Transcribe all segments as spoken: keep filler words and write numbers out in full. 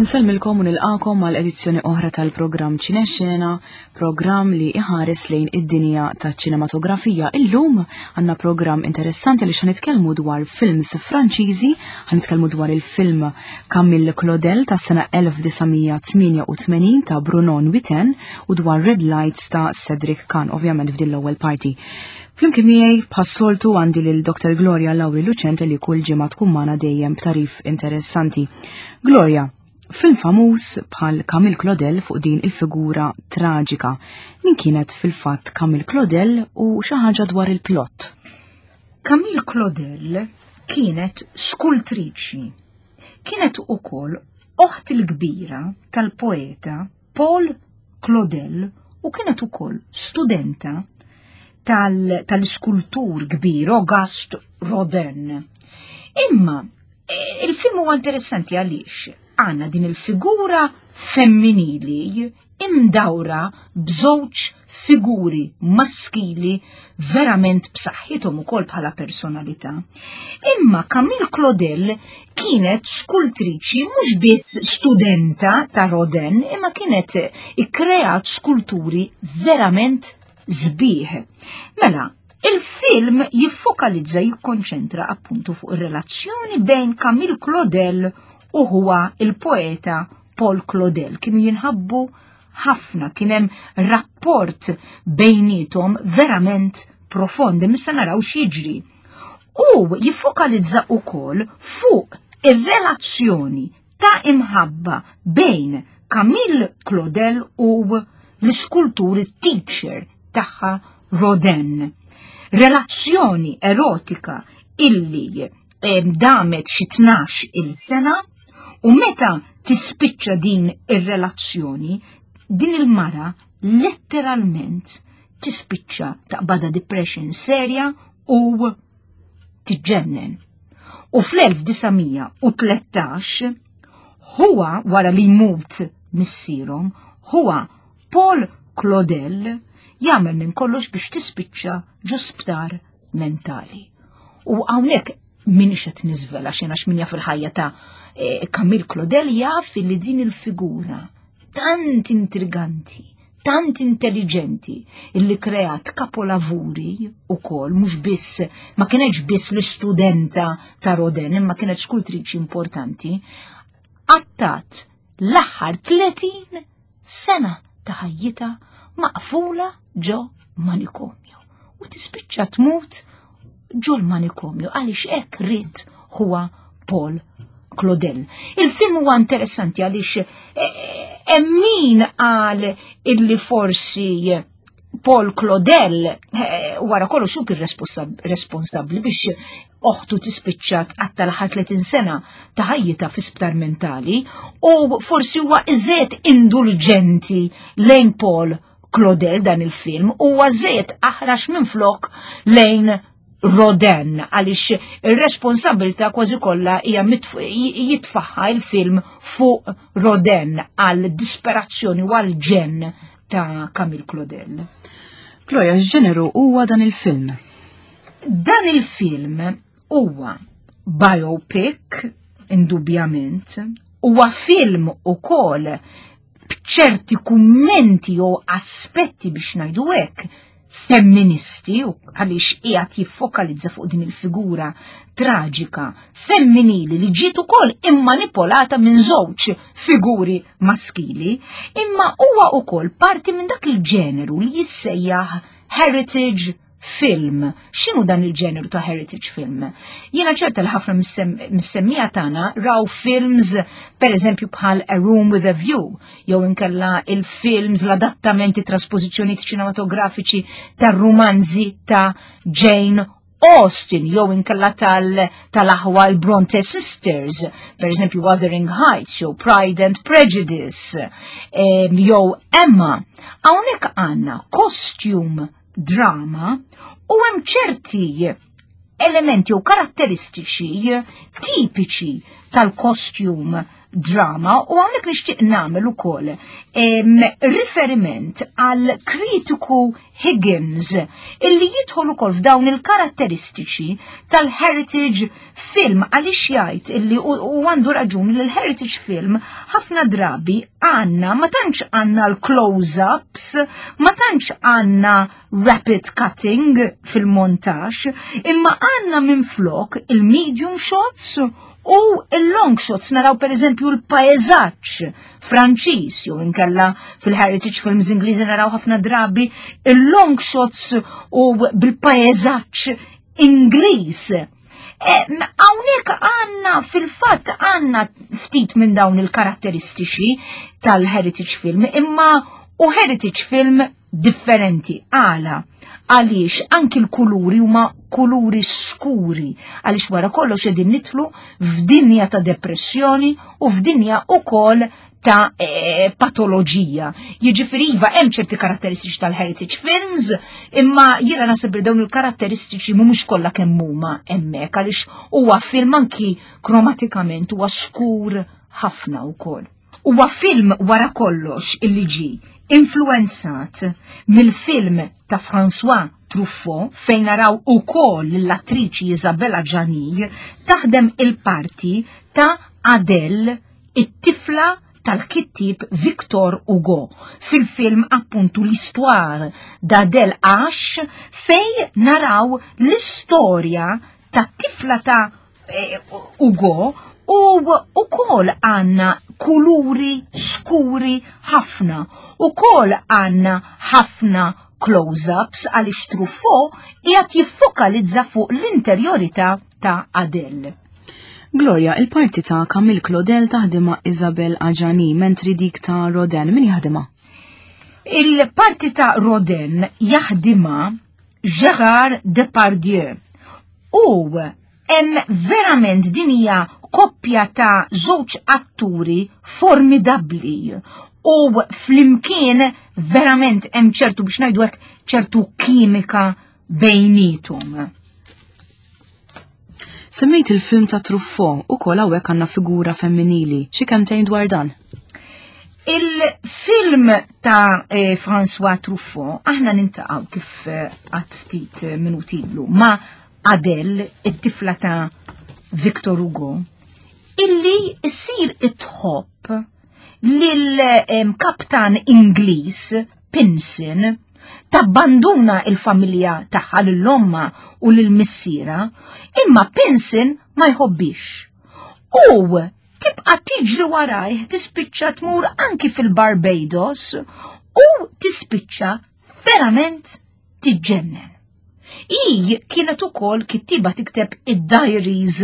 Insellmilkom u nilqakom għal edizzjoni oħra tal-programm Ċinexxena, programm li iħares lejn id-dinja taċ-ċinematografija. Illum għandna programm interessanti li nitkellmu dwar films Franċiżi, nitkellmu dwar il-film Camille Claudel tas-sena elf disa' mija tmienja u tmenin ta' Bruno Nuytten u dwar Red Lights ta' Cedric Kahn, ovvjament f'din l-ewwel parti. Flimkien miegħi bħas-soltu għandi lil Doktor Gloria Lauri Lucente li kull ġimgħa tkun magħna dejjem b'tagħrif interessanti. Gloria, film famuż bħal Camille Claudel fuq din il-figura traġika. Min kienet fil-fatt Camille Claudel u xi ħaġa dwar il-plot? Camille Claudel kienet skultriċi. Kienet ukoll oħt il-kbira tal-poeta Paul Claudel u kienet ukoll studenta tal-iskultur kbir Auguste Rodin. Imma il-film huwa interessanti għaliex għandna din il-figura femminili imdawra b'żewġ figuri maskili verament b'saħħithom ukoll bħala personalità. Imma Camille Claudel kienet skultriċi, mhux biss studenta ta' Rodin, imma kienet ikkreat skulturi verament sbieħ. Mela, il-film jiffokalizza, jikkonċentra appuntu fuq ir-relazzjoni bejn Camille Claudel u huwa il-poeta Paul Claudel. Kienu jinħabbu ħafna, kien hemm rapport bejnietom verament profond, issa naraw x'jiġri. U jiffokalizza ukoll fuq ir-relazzjoni ta' imħabba bejn Camille Claudel u l-iskulturi teacher tagħha Rodin. Relazzjoni erotika illi damet xi tnax il-sena u meta tispiċċa din ir-relazzjoni, din il-mara letteralment tispiċċa taqbada depression serja u tiġġennen. U fl-elf disa' mija u tlettax huwa, wara li jmut missierhom, huwa Paul Claudel jagħmel minn kollox biex tispiċċa ġo sptar mentali. U hawnhekk minix qed niżvela xejn għax min jaf il-ħajja ta' eh, Camille Claudel jaf li din il-figura tant intriganti, tant intelligenti, illi kreat kapolavuri u kol, mhux biss, ma kienx biss l-istudenta ta' Rodin, imma kienet skultriċi importanti, għaddiet l-aħħar tletin sena ta' ħajjitha maqfula ġo manikomju. U tispiċċa tmut ġo l-manikomju għaliex hekk ried huwa Paul Claudel. Il-film huwa interessanti għaliex hemm min qal illi forsi Paul Claudel eh, wara kollox hu kien responsabbli biex oħtu tispiċċa tqatta' l-aħħar tletin sena ta' ħajjitha fi sptar mentali u forsi huwa iżjed indulġenti lejn Paul Claudel dan il-film, huwa żejt aħrax minn flok lejn Rodin, għaliex ir-responsabilità kważi kollha hija jitfaħħa il-film fuq Rodin għal disperazzjoni u għal ġenn ta' Camille Claudel. Gloria, x'ġeneru huwa dan il-film? Dan il-film huwa biopic, indubjament, huwa film ukoll b'ċerti kummenti jew aspetti, biex ngħidu hekk, femministi, għaliex qiegħed jiffokalizza fuq din il-figura traġika femminili li ġiet ukoll immanipolata minn żewġ figuri maskili, imma huwa ukoll parti minn dak il-ġeneru li jissejjaħ heritage film. X'inhu dan il-ġeneru ta' heritage film? Jiena ċerta li ħafna mis-semmiegħa tagħna raw films, per eżempju, bħal A Room with a View, jew inkella il-films, l-adattamenti, trasposizzjoni ċinematografiċi tar-rumanzi ta' Jane Austen, jew inkella tal-aħwa l-Bronte Sisters, per eżempju Wuthering Heights, jew Pride and Prejudice, jew Emma. Hawnhekk għandna costume drama u hemm ċerti elementi u karatteristiċi tipiċi tal-costume drama u hawnhekk nixtieq nagħmel ukoll riferiment għal kritiku Higgins illi jidħol ukoll f'dawn il-karatteristiċi tal-heritage film, għaliex jgħid illi u għandu raġun li l-heritage film ħafna drabi għandna ma tantx għandna l-close-ups, ma tantx għandna rapid cutting fil-montaġġ, imma għandna minflok il-medium shots u il-long shots. Naraw per eżempju l-paesaġġ Franċiż, jew inkella fil-heritage films Ingliżi naraw ħafna drabi il-long shots u bil-paesaġġ Ingliż. Hawnhekk għandna, fil-fatt, għandna ftit minn dawn il-karatteristiċi tal-heritage film, imma u heritage film differenti. Għala? Għaliex anki l-kuluri huma kuluri skuri, għaliex wara kollox qegħdin nidħlu f'dinja ta' depressjoni u f'dinja ukoll ta' e, patoloġija. Jiġifieri iva, hemm ċerti karatteristiċi tal-heritage films, imma jiena naħseb li dawn il-karatteristiċi mhumiex kollha kemm huma hemmhekk, għaliex huwa film anki kromatikament huwa skur ħafna wkoll. Huwa film wara kollox illi ġi influenzat mill-film ta' François Truffaut, fejn naraw ukoll l-attriċi Isabelle Adjani taħdem il-parti ta' Adele, it-tifla tal-kittib Victor Hugo, fil-film appuntu L'Histoire d'Adèle H, fej naraw l-istorja ta' tifla ta' eh, Hugo u ukoll għandna kuluri skuri ħafna, ukoll għandna ħafna close-ups, għaliex Truffaut qiegħed jiffokalizza fuq l-interjorità ta' Adele. Gloria, il-parti ta' Camille Claudel taħdima Isabelle Adjani, mentri dik ta' Rodin min jaħdima? Il-parti ta' Rodin jaħdima Gérard Depardieu. U hemm verament din hija koppja ta' żewġ atturi formidabbli u flimkien verament hemm ċertu, biex ngħidu hekk, ċertu kimika bejnietom. Semmejt il-film ta' Truffaut, u kol hawnhekk għandna figura femminili. Xi kemmtejn dwar dan? Il-film ta' eh, François Truffaut, aħna niltaqgħu, kif eh, għedt ftit eh, minuti ilu, ma' Adele, it-tifla ta' Victor Hugo, illi issir tħobb lil-kaptan Ingliż Pinson, tabbanduna il-familja tagħha, lil ommha u lil missiera, imma Pinson ma jħobbix. U tibqa' tiġri warajh, tispiċċa tmur anki fil-Barbados u tispiċċa verament tiġġennen. I kienet ukoll kittiba, tikteb id-diaries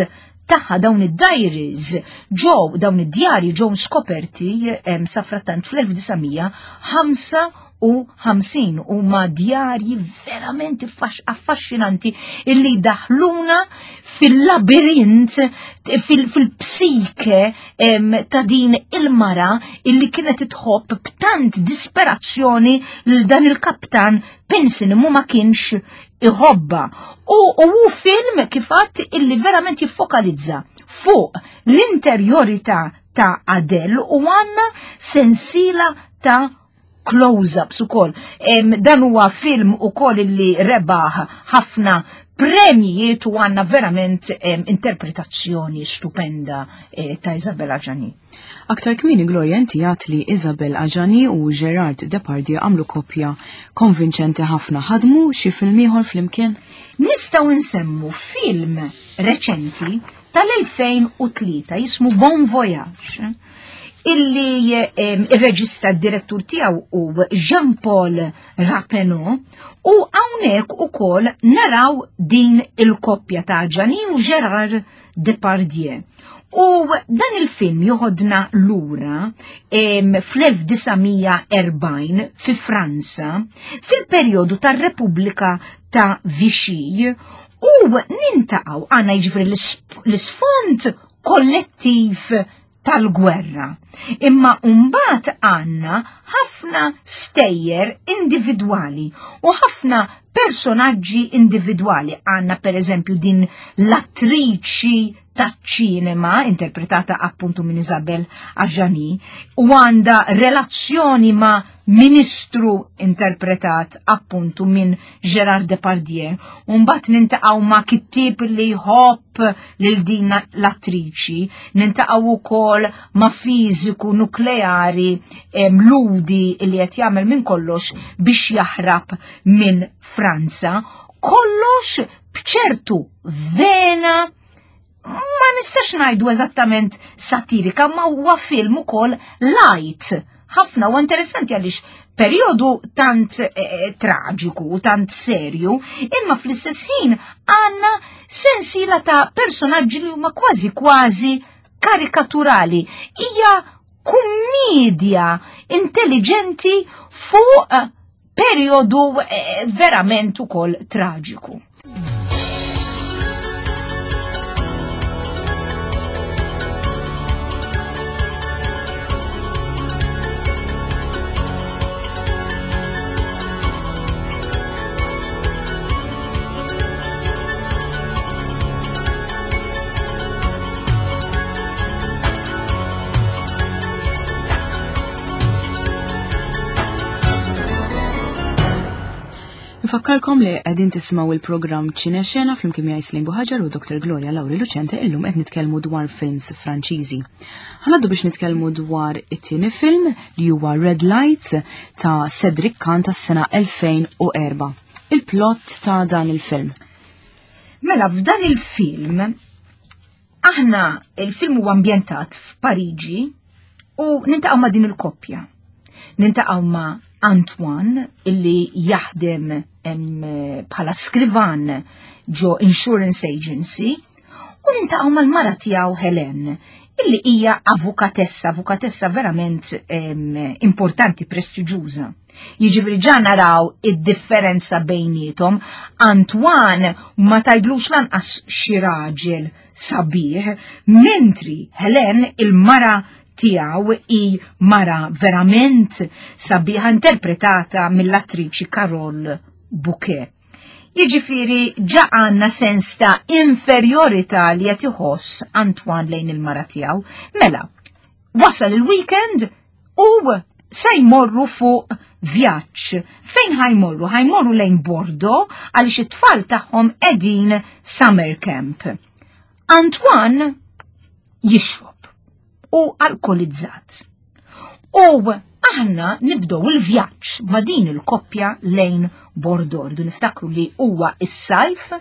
tagħha. Dawn id-diaries ġew, dawn id-djarji ġew skoperti em, safrattant fl-elf disa' mija ħamsa u ħamsin, huma djarji verament affaxxinanti illi daħluna fil-labirint, fil-psike ta' din il-mara illi kienet tħobb b'tant disperazzjoni lil dan il-kaptan Pinson, mu ma kienx iħobba. U hu film, kif għedt, illi verament jiffokalizza fuq l-interjorità ta' Adele u għandna sensila ta' close-ups ukoll. Dan huwa film ukoll illi rebaħ ħafna premjijiet u għandna verament interpretazzjoni stupenda eh, ta' Isabelle Adjani. Aktar kmieni, Gloria, inti għedt li Isabelle Adjani u Gerard Depardieu għamlu koppja konvinċenti ħafna. Ħadmu xi film ieħor flimkien? Nistgħu nsemmu film reċenti tal-elfejn u tlieta jismu Bon Voyage, illi il-reġista, d-direttur tiegħu hu Jean-Paul Rappeneau, u hawnhekk ukoll naraw din il-koppja ta' Adjani u Gerard Depardieu. U dan il-film joħodna lura fl-elf disa' mija erbgħin fi Franza, fil-perjodu tar-Repubblika ta' Vichy, u niltaqgħu għandna jiġifieri l-isfond kollettiv tal-gwerra. Imma mbagħad għandna ħafna stejjer individwali u ħafna personaġġi individwali. Għandna per eżempju din l-attriċi taċ-ċinema, interpretata appuntu minn Isabelle Adjani, u għanda relazzjoni ma' ministru interpretat appuntu minn Gérard Depardieu, u mbagħad nintaqgħu ma' kittieb li jħobb lil din l-attriċi, nintaqgħu wkoll ma' fiżiku nukleari mludi li qed jagħmel minn kollox biex jaħrab minn Franza, kollox b'ċertu vena ma nistax ngħidu eżattament satirika, ma huwa film ukoll light. Ħafna u interessanti għaliex perjodu tant eh, traġiku u tant serju, imma fl-istess ħin għandna sensiela ta' personaġġi li huma kważi kważi karikaturali. Hija kummedja intelligenti fuq perjodu eh, verament ukoll traġiku. Nfakkarkom li qegħdin tisimgħu il-programm Ċinexena flimkien miegħi Slim Buħaġar u Doktor Gloria Lauri Lucente. Illum qed nitkellmu dwar films Franċiżi. Ħanaddu biex nitkellmu dwar it-tieni film li huwa Red Lights ta' Cedric Kahn tas-sena elfejn u erba'. Il-plot ta' dan il-film. Mela f'dan il-film aħna il-film huwa ambjentat f'Pariġi u nintaqgħu ma' din il-koppja. Nintaqgħu ma' Antoine illi jaħdem bħala skrivan ġo insurance agency u nintaqgħu mal-mara tiegħu Helen illi hija avukatessa, avukatessa verament em, importanti, prestiġjuża. Jiġifieri ġa naraw id-differenza bejnietom. Antoine ma tajdlux lanqas xi raġel sabiħ, mentri Helen il-mara tiegħu hi mara verament sabiħa interpretata mill-attriċi Carole Bouquet. Jiġifieri ġa għandna sens ta' inferjorità li qed iħoss Antoine lejn il-mara tiegħu. Mela, wasal il-weekend u se jmorru fuq vjaġġ. Fejn ħajmorru? Ħajmorru lejn Bordeaux għaliex it-tfal tagħhom qegħdin summer camp. Antoine jixrob u alkolizzat. U aħna nibdew il-vjaġġ ma' din il-koppja lejn Bordeaux. Rridu niftakru li huwa is-sajf,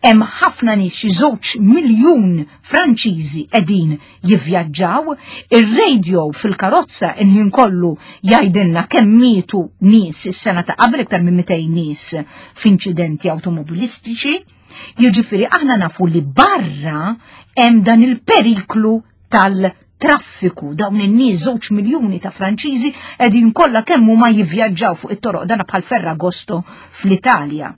hemm ħafna nies, xi żewġ miljun Franċiżi qegħdin jivvjaġġaw, ir-radio fil-karozza inħin kollu jgħidilna kemm mietu nies is-sena ta' qabel, iktar minn mitejn nies f'inċidenti awtomobilistiċi. Jiġifieri aħna nafu li barra hemm dan il-periklu tal-traffiku, dawn in-nies żewġ miljuni ta' Franċiżi qegħdin kollha kemm huma jivvjaġġaw fuq it-toroq, dana bħal Ferragosto fl-Italja.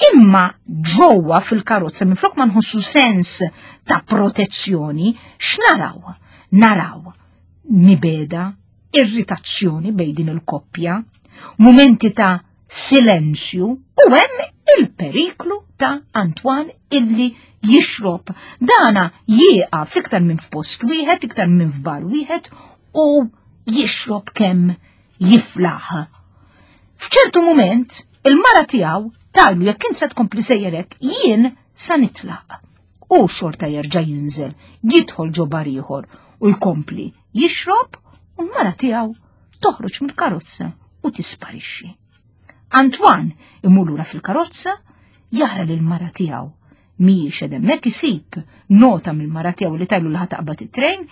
Imma ġewwa fil-karozza minflok ma nħossu sens ta' protezzjoni, x'naraw? Naraw mibeda, irritazzjoni bejn din il-koppja, mumenti ta' silenzju u hemm il-periklu ta' Antoine illi jixrob. Dana jieqaf iktar minn f'post wieħed, iktar minn f'bar wieħed u jixrob kemm jiflaħ. F'ċertu mument, il-mara tiegħu tajlu jekk int se tkompli sejjerek, jien sa nitlaq. U xorta jerġa' jinżel, jidħol ġo bar ieħor u jkompli jixrob u l-mara tiegħu toħroġ mill-karozza u tisparixxi. Antoine imur lura fil-karozza, jara lil mara tiegħu mhijiex qed hemmhekk, isib nota mill-mara tiegħu li tajlu li ħataqbad it-trejn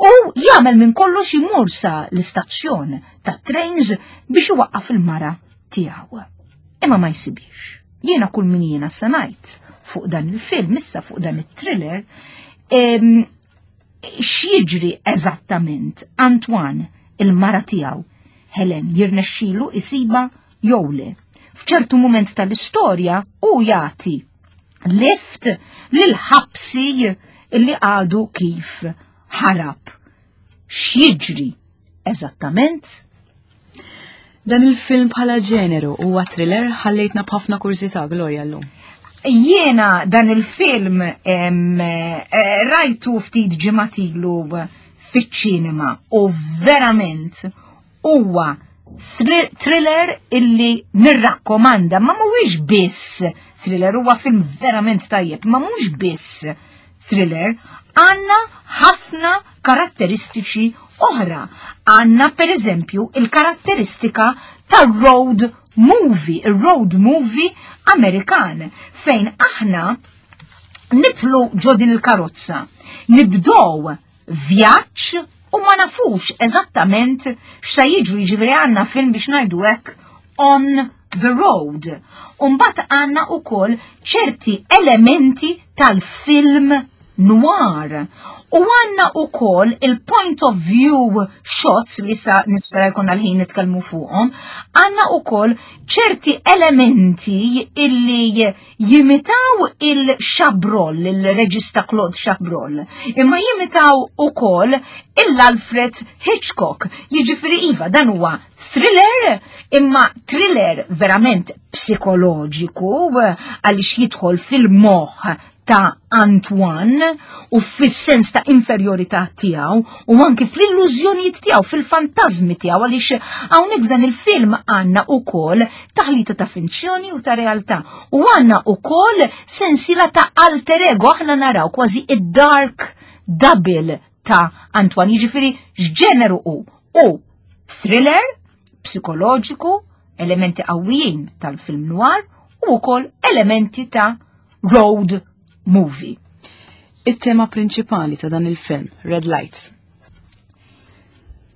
u jagħmel minn kollox imur sa l-istazzjon tat-trains biex iwaqqaf il-mara tiegħu. Imma ma jsibix. Jiena kull min jiena se ngħid fuq dan il-film, issa fuq dan it-thriller, x'jiġri eżattament Antoine, il-mara tiegħu, Helen, jirnexxilu isiba jew le. F'ċertu mument tal-istorja u jagħti lift lil ħabsi li għadu kif ħarab. X'jiġri eżattament? Dan il-film bħala ġeneru huwa thriller, ħallejtna b'ħafna kurżità, Gloria, llum. Jiena dan il-film em, eh, rajtu ftit ġimgħat ilu fiċ-ċinema u verament huwa thriller illi nirrakkomanda, ma mhuwiex biss thriller, huwa film verament tajjeb, ma mhux biss thriller, għandna ħafna karatteristiċi oħra. Għandna per eżempju il-karatteristika tar-road movie, il-road movie Amerikan, fejn aħna nidħlu ġo din il-karozza, nibdow vjaġġ u ma nafux eżattament x'sa jiġri, jiġifieri għandna film, biex ngħidu hekk, on the road. Umbagħad għandna ukoll ċerti elementi tal-film noir. U għandna ukoll il-point of view shots li sa nispera jkun għal-ħin nitkellmu fuqhom, għandna ukoll ċerti elementi illi jimitaw il-Chabrol, il-reġista Claude Chabrol, imma jimitaw ukoll il-Alfred Hitchcock. Jiġifieri iva, dan huwa thriller, imma thriller verament psikoloġiku għaliex jidħol fil-moħħ ta' Antoine u fis-sens ta' inferjorità tiegħu u anki fl-illużjonijiet tiegħu, fil-fantażmi tiegħu, għaliex hawnhekk f'dan il-film għandna ukoll taħlita ta' finzjoni u ta' realtà u għandna ukoll sensiela ta' alter ego, aħna naraw kważi id-dark double ta' Antoine, jiġifieri x'ġeneru hu? U thriller psikoloġiku, elementi qawwijin tal-film noir u wkoll elementi ta' road movie. It-tema prinċipali ta' dan il-film, Red Lights.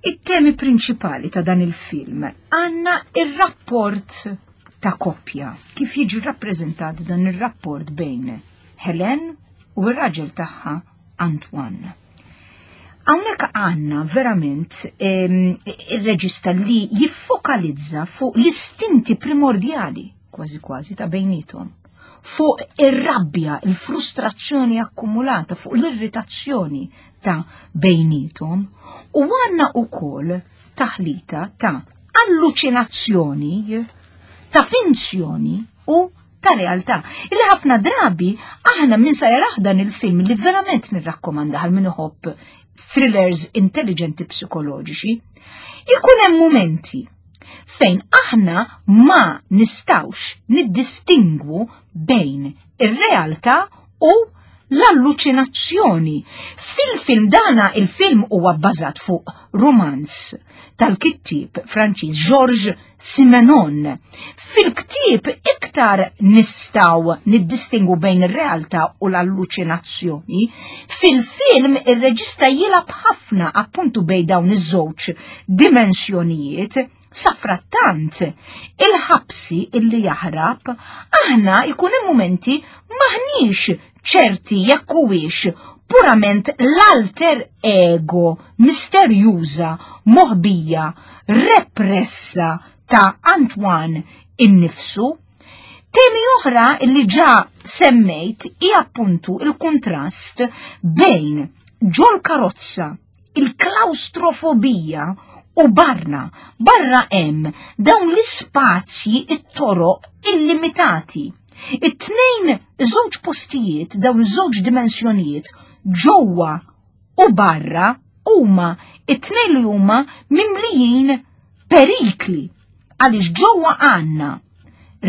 It-temi prinċipali ta' dan il-film, għandna il-rapport ta' koppja, kif jiġi rappreżentat dan il-rapport bejn Helen u r-raġel tagħha Antoine. Hawnhekk għandna verament il-reġista li jiffokalizza fuq l-istinti primordjali kważi kważi ta' bejnietom, fuq ir-rabbja, il-frustrazzjoni akkumulata, fuq l-irritazzjoni ta' bejnietom, u għandna ukoll taħlita ta' alluċinazzjoni, ta' finzjoni u ta' realtà. Illi ħafna drabi aħna minn sa jarah dan il-film, li verament nirrakkomanda għal min iħobb thrillers intelligenti psikoloġiċi, ikun hemm momenti fejn aħna ma nistawx niddistingwu bejn ir-realtà u l-alluċinazzjoni. Fil-film dana, il-film huwa bbażat fuq romanz tal-kittib Franċiż Georges Simenon. Fil-ktib iktar nistgħu niddistingu bejn ir-realtà u l-alluċinazzjoni. Fil-film ir-reġista jilgħab ħafna appuntu bejn dawn iż-żewġ dimensjonijiet. Safrattant, il-ħabsi illi jaħrab, aħna jkun hemm momenti maħniex ċerti jekk huwiex purament l-alter ego misterjuża, moħbija, repressa ta' Antoine innifsu. Temi oħra illi ġa semmejt hi appuntu il-kontrast bejn ġol karozza, il-klaustrofobija, u barra. Barra hemm dawn l-ispazji, it-toroq illimitati. It-tnejn, żewġ postijiet, dawn iż-żewġ dimensjonijiet, ġewwa u barra, huma it-tnejn li huma mimlijin perikli. Għaliex ġewwa għandna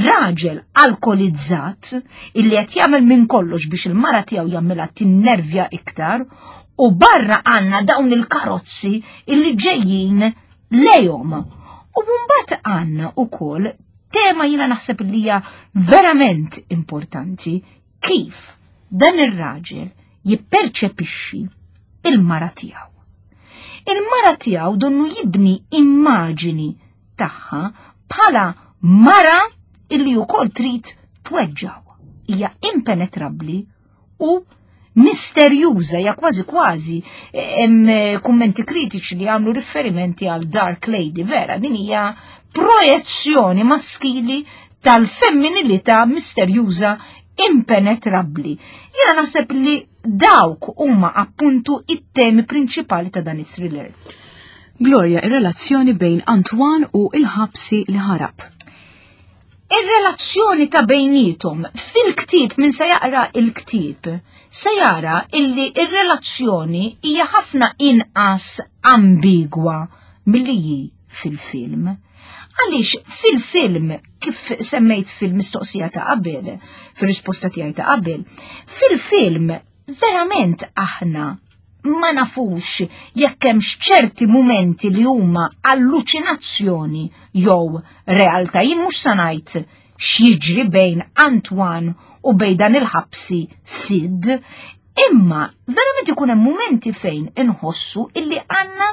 raġel alkolizzat illi qed jagħmel minn kollox biex il-mara tiegħu jagħmilha tinnervja iktar, u barra għandna dawn il-karozzi illi ġejjin lejhom. U mbagħad għandna ukoll tema, jiena naħseb li hija verament importanti, kif dan ir-raġel jipperċepixxi il-mara tiegħu. Il-mara tiegħu donnu jibni immaġini tagħha bħala mara illi wkoll trid tweġġaw. Hija impenetrabbli u misterjuża, ja kważi kważi hemm kummenti kritiċi li għamlu riferimenti għal Dark Lady, vera, din hija projezzjoni maskili tal-femminilità misterjuża impenetrabbli. Jiena naħseb li dawk huma appuntu it-temi prinċipali ta' dan it-thriller. Gloria, ir-relazzjoni bejn Antoine u il-ħabsi li ħarab. Ir-relazzjoni ta' bejnietom fil-ktieb, min se jaqra il-ktieb, se jara illi ir-relazzjoni hija ħafna inqas ambigwa milli hi fil-film. Għaliex fil-film, kif semmejt fil-mistoqsija ta' qabel, fil-risposta tiegħi ta' qabel, fil-film verament aħna ma nafux jekk hemmx ċerti mumenti li huma alluċinazzjoni jew realtà. Jien mhux sa ngħid x'jiġri bejn Antoine u bejn dan il-ħabsi Sid, imma verament ikun hemm mumenti fejn inħossu illi għandna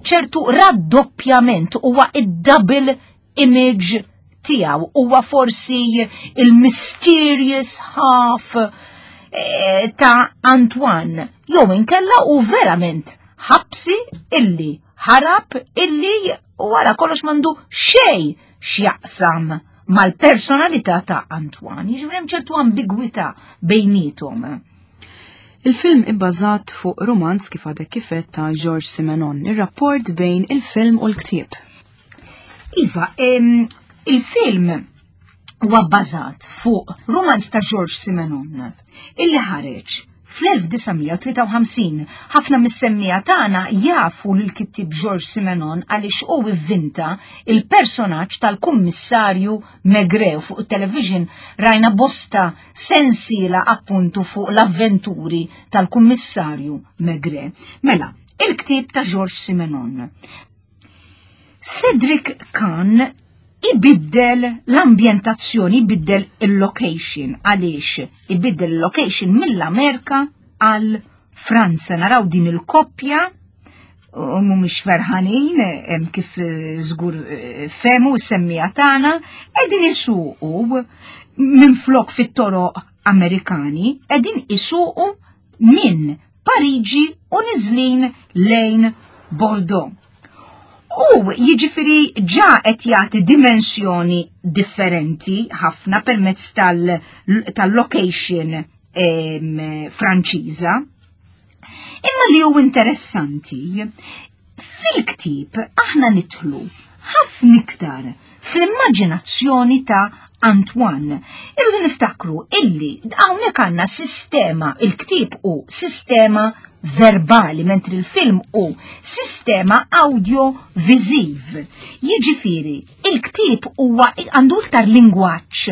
ċertu raddoppjament, huwa id-double image tiegħu, huwa forsi il-mysterious half eh, ta' Antoine, jew inkella u verament ħabsi illi ħarab, illi wara kollox m'għandu xejn x'jaqsam mal-personalità ta' Antoine. Jiġifieri hemm ċertu ambigwità bejnietom. Il-film ibbażat fuq romanz, kif għadek kif għedt, ta' Georges Simenon, ir-rapport bejn il-film u l-ktieb. Iva, em, il-film huwa bbażat fuq romanz ta' Georges Simenon illi ħareġ fl-elf disa' mija u tlieta u ħamsin. Ħafna mis-semmiegħa tagħna jafu lil kittieb Georges Simenon għaliex hu ivvinta il-personaġġ tal-kummissarju Maigret. Fuq it-television rajna bosta sensiela appuntu fuq l-avventuri tal-kummissarju Maigret. Mela, il-ktieb ta' Georges Simenon. Cedric Kahn ibiddel l-ambjentazzjoni, ibiddel il-location. Għaliex ibiddel il-location mill-Amerika għal Franza? Naraw din il-koppja u mhumiex ferħanin, hemm kif eh, żgur eh, fehmu s-semmiegħa tagħna, qegħdin isuqu minn flok fit-toroq Amerikani, qegħdin isuqu minn Pariġi u niżlin lejn Bordeaux. U jiġifieri ġa qed jagħti dimensjoni differenti ħafna permezz tal-location tal Franċiża. Imma li hu interessanti, fil-ktieb aħna nidħlu ħafna iktar fl-immaġinazzjoni ta' Antoine. Irridu niftakru illi hawnhekk għandna sistema, il-ktieb hu sistema verbali, mentri il-film hu sistema audio-viziv. Jiġifieri, il-ktieb huwa għandu iktar lingwaġġ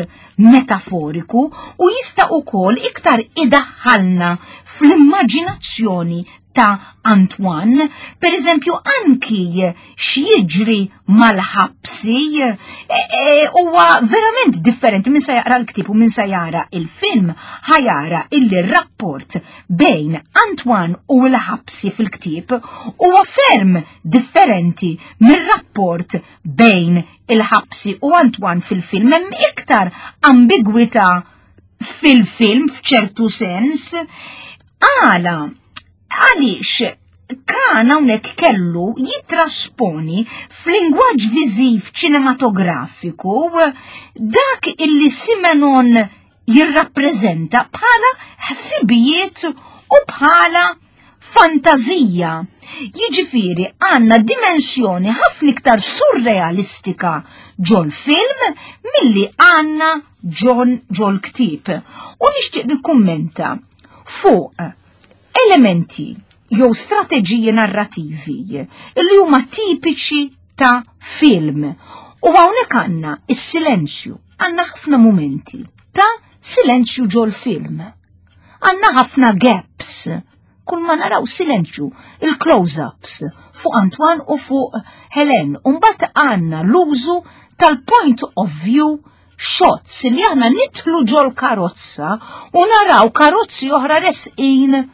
metaforiku u jista' ukoll iktar idaħħalna fl-immaġinazzjoni ta' Antoine, per eżempju anki x'jiġri mal-ħabsi e, e, huwa verament differenti. Min sa jaqra l-ktieb u min sa jara il-film ħa jara illi rapport bejn Antoine u l-ħabsi fil-ktieb huwa ferm differenti mir-rapport bejn il-ħabsi u Antoine fil-film. Hemm iktar ambigwità fil-film f'ċertu sens. Għala? Għaliex Kahn hawnhekk kellu jitrasponi f'lingwaġġ viżiv ċinematografiku dak illi Simenon jirrappreżenta bħala ħsibijiet u bħala fantazija. Jiġifieri għandna dimensjoni ħafna iktar surrealistika ġol-film milli għandna ġon ġol-ktieb. U nixtieq nikkummenta fuq elementi jew strateġiji narrativi li huma tipiċi ta' film. U hawnhekk għandna is-silenzju, għandna ħafna mumenti ta' silenzju ġol-film. Għandna ħafna gaps, kull ma naraw silenzju, il-close-ups fuq Antoine u fuq Helen. Umbagħad għandna l-użu tal-point of view shots li aħna nidħlu ġol karozza u naraw karozzi oħra resqin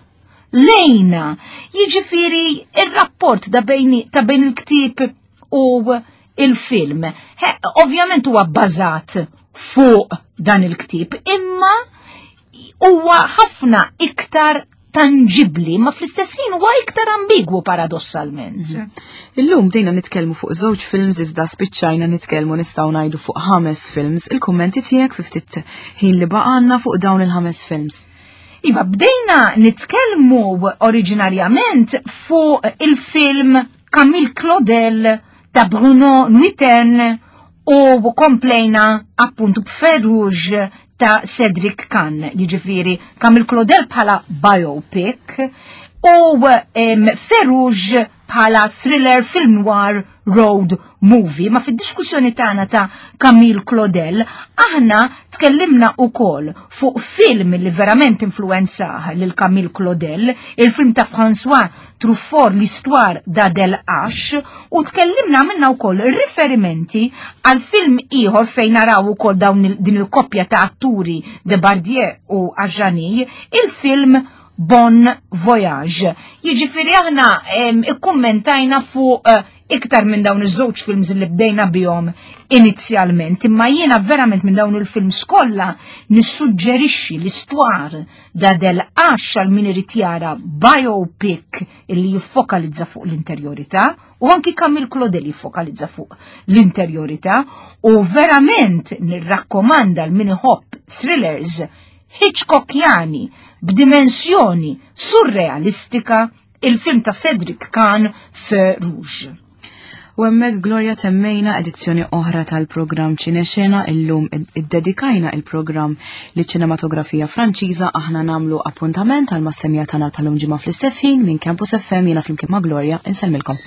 lejna. Jiġifieri il-rapport da bejn, ta' bejn il-ktieb u il-film. Ovvjament huwa bbażat fuq dan il-ktieb, imma huwa ħafna iktar tangibli, ma fl-istess ħin huwa iktar ambigwu, paradossalment. Illum bdejna nitkellmu fuq żewġ films, iżda spiċċajna nitkellmu, nistgħu ngħidu, fuq ħames films. Il-kummenti tiegħek fi ftit ħin li baqgħalna fuq dawn il-ħames films. Iva, bdejna nitkellmu oriġinarjament fuq il-film Camille Claudel ta' Bruno Nuytten u komplejna appuntu b'Feu Rouge ta' Cedric Kahn, jiġifieri Camille Claudel bħala biopic u um, Feu Rouge bħala thriller film noir road movie. Ma fid-diskussjoni tagħna ta' Camille Claudel, aħna tkellimna ukoll fuq film li verament influenzah lil Camille Claudel, il-film ta' François Truffaut, L'Histoire d'Adèle Hache, u tkellimna minna wkoll riferimenti għal film ieħor fejn naraw ukoll dawn din il-koppja ta' atturi Depardieu u Adjani, il-film Bon Voyage. Jiġifieri aħna ikkummentajna fuq eh, iktar minn dawn iż-żewġ films li bdejna bihom inizjalment, imma jiena verament minn dawn il-films kollha nissuġġerixxi L'Histoire d'Adèle Hache għal min irid jara biopic illi jiffokalizza fuq l-interjorità u anki Camille Claudel jiffokalizza fuq l-interjorità u verament nirrakkomanda lil min iħobb thrillers Hitchcockjani b'dimensjoni surrealistika, il-film ta' Cedric Kahn, Feu Rouge. U hemmhekk, Gloria, temmejna edizzjoni oħra tal-programm Ċinexena. Illum iddedikajna il-programm li ċinematografija Franċiża. Aħna nagħmlu appuntament għal mas-semmiegħa tagħna bħal-lum ġimgħa fl-istess ħin. Minn Campus F M, jiena flimkien ma' Gloria insellmilkom.